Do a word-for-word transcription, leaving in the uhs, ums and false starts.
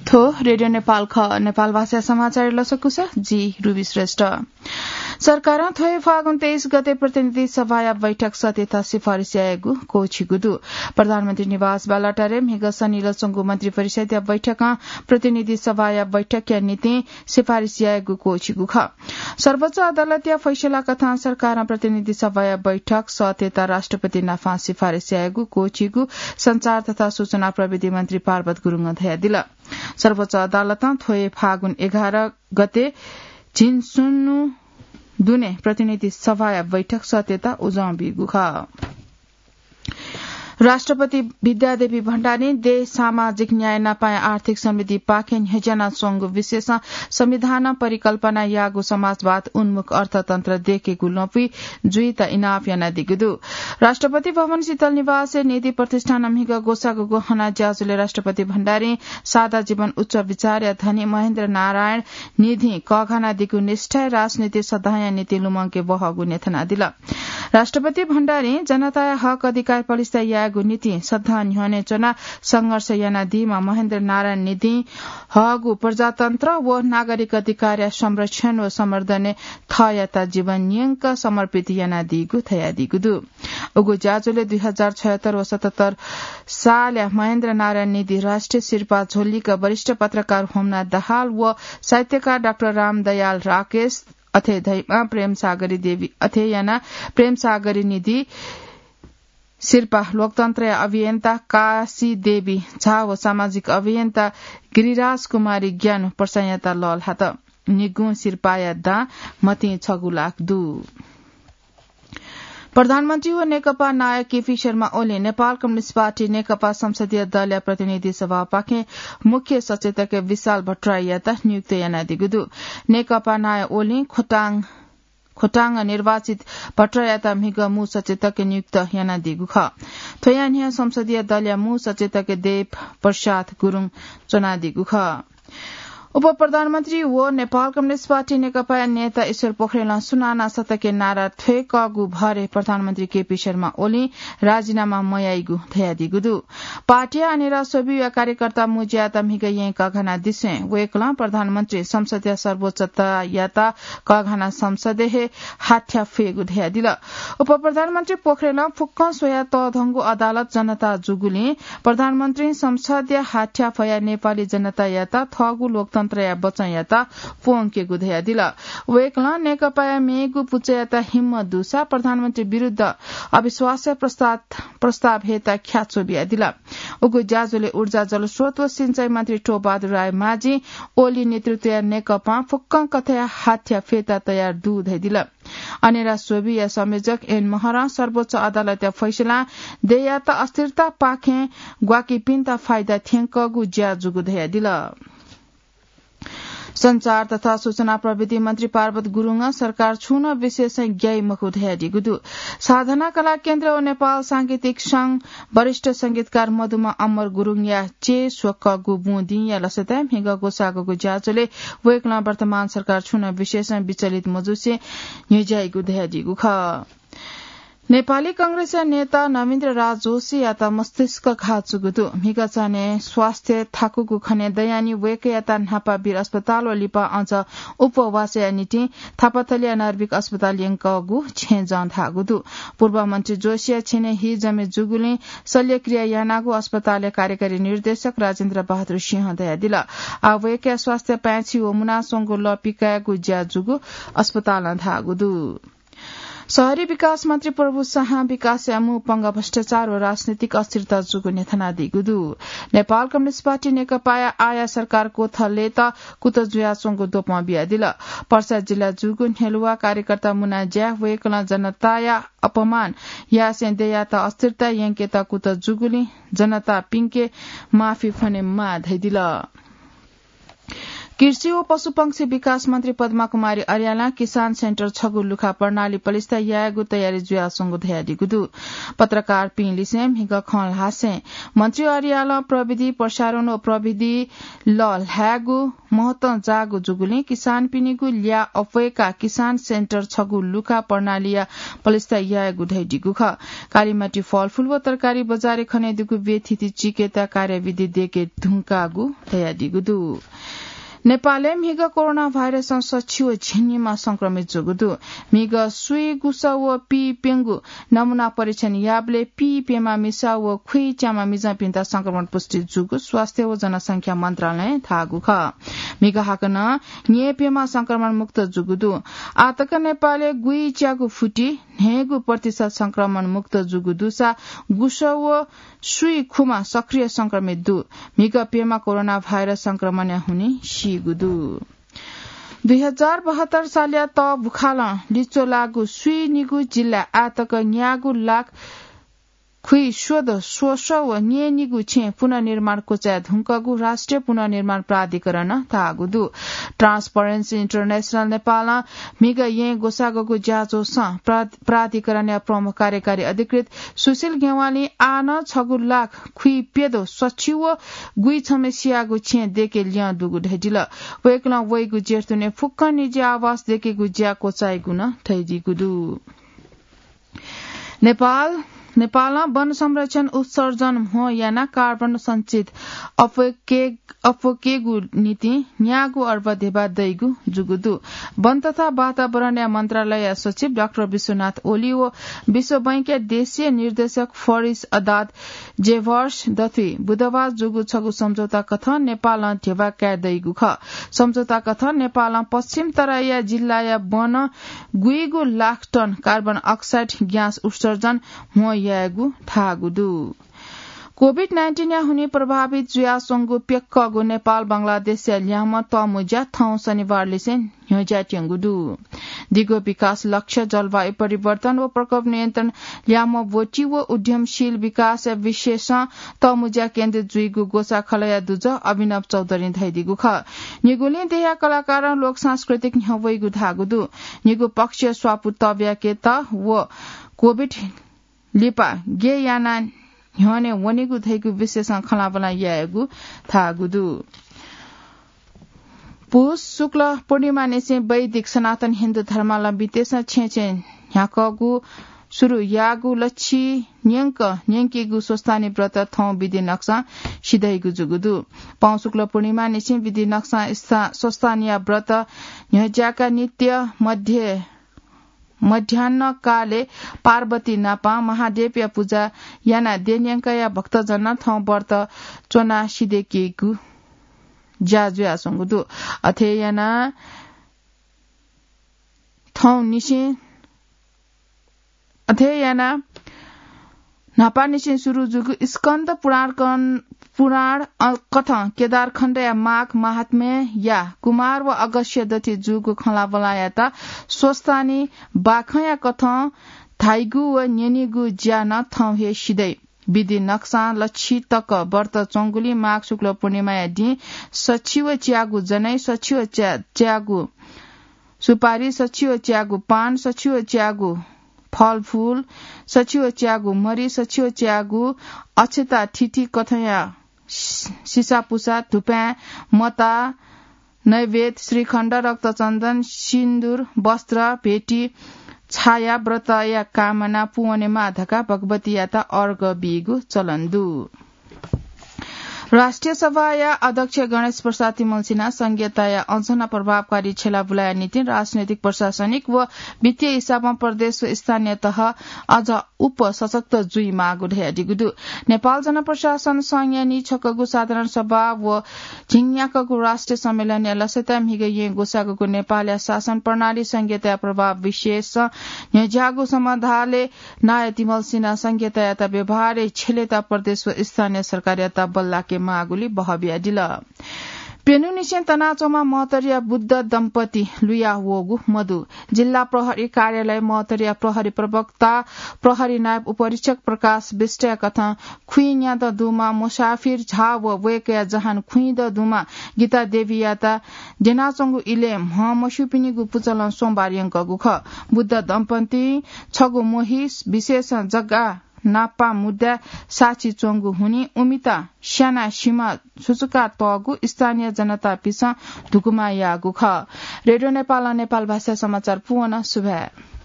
थ्व रेडियो नेपाल खः। नेपाल भाषा समाचार लसकुस, जि रुबी श्रेष्ठ। सरकारं थ्व हे फागुन तेइस गते प्रतिनिधि सभाया बैठक सत्यता सिफारिस यायेगु क्वःछिगु दु। प्रधानमन्त्री निवास बालुवाटारय् म्हिगः सनिलय् च्वंगु मन्त्री परिषदया बैठकं प्रतिनिधि सभाया बैठकया निंतिं सिफारिस यायेगु क्वःछिगु खः। सर्वोच्च अदालतया फैसला कथं सरकारं प्रतिनिधि सभाया बैठक सत्यता राष्ट्रपति नाफां सिफारिस यायेगु क्वःछिगु सञ्चार तथा सूचना प्रविधि मन्त्री पार्वत गुरुङं धयादिल। सर्वोच्च अदालतं थ्व हे फागुन एघार गते झिंसुनु दुने प्रतिनिधि सभाया बैठक सत्यता उजं बीगु खः। राष्ट्रपति विद्यादेवी भण्डारीं देश सामाजिक न्याय नापं आर्थिक समृद्धिपाखें न्ह्यज्यानाच्वंगु विषयय् संविधानं परिकल्पना याःगु समाजवाद उन्मुख अर्थतन्त्र देखेगु लँपुइ जुइत इनाप यानादीगु दु। राष्ट्रपति भवन शीतल निवासय् निधि प्रतिष्ठानं म्हिगः ग्वसाःगु हना ज्याझ्वलय् राष्ट्रपति भण्डारीं सादा जीवन उच्च विचारया धनी महेन्द्र नारायण निधिं कःघानादीगु निष्ठाय् राजनीति सदांया निंतिं लुमंके बहःगु न्ह्यथनादिल। राष्ट्रपति भण्डारीं जनताया हक अधिकार पलिस्था यायेगु निंतिं सदां न्ह्यःने च्वनाः संघर्ष यानादीम्ह महेन्द्र नारायण निधिं हःगु प्रजातन्त्र व नागरिक अधिकारया संरक्षण व संवर्धनय् थःयात जीवन न्यंक समर्पित यानादीगु धयादीगु दु। उगु ज्याझ्वलय् दुई हजार छयत्तर व सतहत्तर सालया महेन्द्र नारायण निधि राष्ट्रिय सिरपाः झ्वलिक वरिष्ठ पत्रकार होमनाथ दाहाल व साहित्यकार डाक्टर रामदयाल राकेश अथे धइमा प्रेमसागरी देवी अथे याना प्रेमसागरी निधि सिरपाः लोकतन्त्रया अभियन्ता काशी देवी झा व सामाजिक अभियन्ता गिरिराज कुमारी ज्ञानु प्रसायाता लःल्हात। निगुं सिरपाःया दां मतिं छगू लाख दु। प्रधानमन्त्री व नेकपा नायः केपी शर्मा ओलीं नेपाल कम्युनिस्ट पार्टी नेकपा संसदीय दलया प्रतिनिधि सभापाखें मुख्य सचेतक विशाल भट्टराईयात नियुक्त यानादीगु दु। नेकपा नायः ओलीं खोटाङ, खोटाङ निर्वाचित भट्टराईयात म्हिगः मू सचेतक नियुक्त यानादीगु खः। थ्वया न्ह्यः संसदीय दलया मू सचेतक देव प्रसाद गुरुङ च्वनादीगु खः। उपप्रधानमन्त्री व नेपाल कम्युनिस्ट पार्टी नेकपाया नेता ईश्वर पोखरेलं सुनाना सतके नारा थ्वय्कःगु भरय् प्रधानमन्त्री केपी शर्मा ओलीं राजीनामा मयाइगु धयादीगु दु। पार्टीया अनेरा स्वब्यूया कार्यकर्ता मुज्यात म्हिगः येँ कःघानादिसें वय्कलं प्रधानमन्त्री संसदया सर्वोच्चतायात कःघाना संसदय् हे हाथ्या फयेगु धयादिल। उपप्रधानमन्त्री पोखरेलं फुक्कं स्वया तःधंगु अदालत जनता जूगुलिं प्रधानमन्त्रीं संसदया हाथ्या फयाः नेपाली जनतायात थःगु लोकतन्त्रया बचनयात प्वंकेगु धयादिल। वय्कलं नेकपाया मेगु पुचःयात हिम्मत दुसा प्रधानमन्त्री विरुद्ध अविश्वास प्रस्ताव, प्रस्ताव हयेत ख्याच्वः बियादिल। उगु ज्याझ्वलय् ऊर्जा जलस्रोत व सिंचाइ मन्त्री टोपबहादुर रायमाझीं ओली नेतृत्वया नेकपां फुक्कं कथंया हाथ्या फयेत तयार दु धयादिल। अनेरा स्वब्यूया संयोजक एन महरं सर्वोच्च अदालतया फैसलां देय्‌यात अस्थिरतापाखें ग्वाकीपिन्त फाइदा थ्यंकःगु ज्या जूगु धयादिल। सञ्चार तथा सूचना प्रविधि मन्त्री पार्वत गुरुङं सरकार छुं नं विषयय् ग्याइ मखु धयादीगु दु। साधना कला केन्द्र व नेपाल सांगीतिक संघ वरिष्ठ संगीतकार मधुमा अमर गुरुङया च्यय् स्वकःगु बुँ दिंया लसताय् म्हिगः ग्वसाःगु ज्याझ्वलय् वय्कलं वर्तमान सरकार छुं नं विषयय् विचलित मजुसे न्ह्यज्याइगु धयादीगु खः। नेपाली कांग्रेसया नेता नवीन्द्र राज जोशीयात मस्तिष्क घाः जूगु दु। म्हिगः चान्हय् स्वास्थ्य थाकुगु खनेदयानि वय्कःयात न्हापा वीर अस्पताल व लिपा अझ उपवासया निंतिं थापाथलीया नर्भिक अस्पताल यंकःगु छेँजं धाःगु दु। पूर्व मन्त्री जोशीया छेनय् हि जमे जूगुलिं शल्यक्रिया यानागु अस्पतालया कार्यकारी निर्देशक राजेन्द्र बहादुर सिंहं धयादिल। आः वय्कःया स्वास्थ्य पाय्छि व मुनाच्वंगु लः पिकायेगु ज्या जूगु अस्पतालं धाःगु दु। शहरी विकास मन्त्री प्रभु शाहं विकासया मू पंगः भ्रष्टाचार व राजनीतिक अस्थिरता जूगु न्ह्यथनादीगु दु। नेपाल कम्युनिस्ट पार्टी नेकपाया आःया सरकार क्वथलेत कुतः जुयाच्वंगु द्वपं बियादिल। पर्सा जिल्ला जूगु न्ह्यलुवा कार्यकर्ता मुना ज्याः वय्कलं जनताया अपमान यासें देय्‌यात अस्थिरता यंकेत कुतः जूगुलिं जनतापिंके माफी फ्वनेमाः धयादिल। कृषि व पशुपंक्षी विकास मन्त्री पद्मा कुमारी अर्यालं किसान सेन्टर छगू लुखा प्रणाली पलिस्था यायेगु तयारी जुयाच्वंगु धयादीगु दु। पत्रकारपिं लिसें म्हिगः खँ ल्हासें मन्त्री अर्यालं प्रविधि प्रसारण व प्रविधि लःल्हायेगु महत्वं जाःगु जूगुलिं किसानपिनिगु ल्याः अप्वय्काः किसान सेन्टर छगू लुखा प्रणालीया पलिस्था यायेगु धयादीगु खः। कालिमाटी फलफुल व तरकारी बजारय् खनेदुगु व्यथिति चिकेता कार्यविधि देके धुंकागु धयादीगु दु। नेपालय् म्हिगः कोरोना भाइरसं सछि व झिंनिम्ह संक्रमित जूगु दु। म्हिगः सुइ, गुसः व पीप्यंगु नमूना परीक्षण याःबलय् पीप्यम्ह मिसा व खुइच्याम्ह मिजंपिन्त संक्रमण पुष्टि जूगु स्वास्थ्य व जनसंख्या मन्त्रालयं धाःगु खः। म्हिगः हाकनं न्यय्प्यम्ह संक्रमण मुक्त जूगु दु। आःतक नेपालय् गुइच्यागू फुति न्हय्गू प्रतिशत संक्रमण मुक्त जूगु दुसा गुसः व सुइ खुम्ह सक्रिय संक्रमित दु। म्हिगः प्यम्ह कोरोना भाइरस संक्रमणया हुनिं सीगु दु। दुई हजार बहत्तर सालया तःबुखालं लिच्वलाःगु स्वीनिगू जिल्लाय् आःतक न्यागू लाख खुइस्वदँ स्वसः व न्यय्निगू छेँ पुनर्निर्माण क्वचाये धुंकूगु राष्ट्रिय पुनर्निर्माण प्राधिकरणं धाःगु दु। ट्रान्सपरेन्सी इन्टरनेसनल नेपालं म्हिगः येँ ग्वसाःगुगु ज्याझ्वलय् प्रा-, प्राधिकरणया प्रमुख कार्यकारी अधिकृत सुशील ज्ञवालीं आः नं छगू लाख खुइप्यदँ सछि व गुइछम्ह सियागु छेँ देके ल्यं दुगु धयादिल। वय्कलं वइगु जेठ दुने फुक्कं निजी आवास देकेगु ज्या क्वचाइगु नं धयादीगु दु। नेपाल, नेपालं वन संरक्षण उत्सर्जन म्हो यानाः कार्बन सञ्चित अप्वय्के-, अप्वय्केगु निंतिं न्यागू अर्ब धेबा दइगु जूगु दु। वन तथा वातावरणया मन्त्रालयया सचिव डाक्टर विश्वनाथ ओली व विश्व बैंकया देशीय निर्देशक फरिस अदाद जेभर्स दथुइ बुधबार जूगु छगू सम्झौता कथं नेपालं धेबा काये दइगु खः। सम्झौता कथं नेपालं पश्चिम तराईया जिल्लाया वन गुइगू lakh ton carbon oxide gas उत्सर्जन म्हो यायेगु धाःगु दु। कोभिड नाइन्टिनया हुनिं प्रभावित जुयाच्वंगु प्यक्कःगु नेपाल बंगलादेशया ल्याहां तःमुँज्या थौं शनिबारलिसें न्ह्यज्यायेत्यंगु दु। दिगो विकास लक्ष्य, जलवायु परिवर्तन व प्रकोप नियन्त्रण, ल्याहां ब्वति व उद्यमशील विकासया विशेषं तःमुँज्या केन्द्रित जुइगु ग्वसाः खलःया दुजः अभिनव चौधरीं धयादीगु खः। निगुलिं देय्या कलाकारं लोक सांस्कृतिक न्ह्यब्वइगु धाःगु दु। निगू पक्षया स्वापू तब्याकेत व कोभिड लिपा गय् यानाः न्ह्यःने वनीगु धइगु विशेषं खँल्हाबल्हा यायेगु धाःगु दु। पुस शुक्ल पूर्णिमानिसें वैदिक सनातन हिन्दू धर्मावलम्बीतय्सं छेँय् छेँय् न्ह्याकःगु सुरु याःगु लच्छि न्यंक न्यंकीगु स्वस्तानी व्रत थौं विधि नक्सां सिधइगु जूगु दु। पौं शुक्ल पूर्णिमानिसें विधि नक्सां स्था-, स्वस्तानीया व्रत न्ह्यज्याकाः नित्य मध्य मध्याह्न कालय् पार्वती नाप महादेवया पुजा यानाः देन्यंकया भक्तजनं थौं व्रत च्वनाः सिधय्कीगु ज्या जुयाच्वंगु दु। अथे यानाः थौंनिसें, अथे यानाः न्हापांनिसें सुरु जूगु स्कन्द पुराण कन-, पुराण, अ, कथं केदारखण्डया माघ महात्म्यया कुमार व अगस्त्य दथुइ जूगु खँल्हाबल्हायात स्वस्तानी बाखंया कथं धाइगु व न्यनीगु ज्या नं थौं हे सिधइ। विधि नक्सां लच्छि तक व्रत च्वंगुलिं माघ शुक्ल पूर्णिमाया दिं सछि व च्यागू जनै, सछि व च्या-, च्यागू सुपारी, सछि व च्यागू पान, सछि व च्यागू फलफूल, सछि व च्यागू मरि, सछि व च्यागू अक्षता थिथि कथंया सि-, सिसापुसा, धुपाँय्, मता, नैवेद्य, श्रीखण्ड, रक्तचन्दन, सिन्दुर, वस्त्र, भेटी, छाया व्रतया कामना पूवनेमाः धकाः भगवतीयात अर्घ बीगु चलन दु। राष्ट्रिय सभाया अध्यक्ष गणेश प्रसाद तिमल्सिनां संघीयताया अझ नं प्रभावकारी छ्यला बुलाया निंतिं राजनैतिक, प्रशासनिक व वित्तीय हिसाबं प्रदेश व स्थानीय तह अझ उप सशक्त जुइमाःगु धयादीगु दु। नेपाल जनप्रशासन संघया नीछक्वःगु साधारण सभा व झिंन्याक्वःगु राष्ट्रिय सम्मेलनया लसताय् म्हिगः येँ ग्वसाःगु नेपालया शासन प्रणाली संघीयताया प्रभाव विशेष न्ह्यज्याःगु समाधानय् नायः तिमल्सिनां संघीयतायात व्यवहारय् छ्यलेत प्रदेश व स्थानीय सरकारयात बल्लाके माःगुली बहबियादिल। प्यन्हुनिसें तनाच्वंम्ह महतरिया बुद्ध दम्पति लुया वःगु मदु। जिल्ला प्रहरी कार्यालय महतरिया प्रहरी प्रवक्ता प्रहरी नायब उपरीक्षक प्रकाश विष्टया कथं खुइन्यादँ दुम्ह मुसाफिर झा व वय्कःया जहान खुइन्यादँ दुम्ह गीता देवीयात द्यनाच्वंगु इलय् म्ह मस्यूपिनिगु पुचलं सोमबार यंकःगु खः। बुद्ध दम्पतिं छगू मोहिस विशेषं जग्गा नापा मुद्दा साक्षी च्वंगु हुनिं उमित स्याना सिमा सुचुका तःगु स्थानीय जनतापिसं धुकुमा याःगु खः। रेडियो नेपालं नेपाल भाषा समाचार पुवन सुभाय्।